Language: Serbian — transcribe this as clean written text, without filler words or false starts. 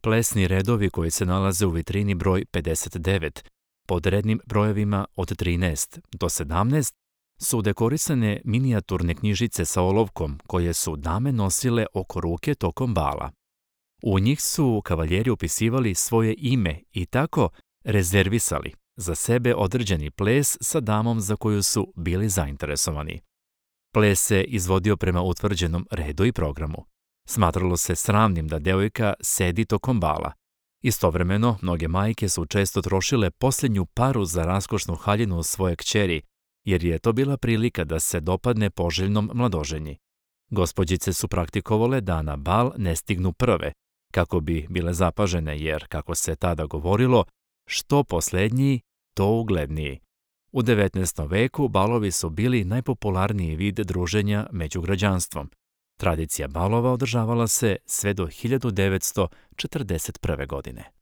Plesni redovi koji se nalaze u vitrini broj 59, pod rednim brojevima od 13 do 17, su dekorisane minijaturne knjižice sa olovkom koje su dame nosile oko ruke tokom bala. U njih su kavaljeri upisivali svoje ime i tako rezervisali za sebe određeni ples sa damom za koju su bili zainteresovani. Ples se izvodio prema utvrđenom redu i programu. Smatralo se sramnim da devojka sedi tokom bala. Istovremeno, mnoge majke su često trošile posljednju paru za raskošnu haljinu svoje kćeri, jer je to bila prilika da se dopadne poželjnom mladoženji. Gospođice su praktikovale da na bal ne stignu prve, kako bi bile zapažene, jer, kako se tada govorilo, što poslednji, to ugledniji. U 19. veku balovi su bili najpopularniji vid druženja među građanstvom. Tradicija balova održavala se sve do 1941. godine.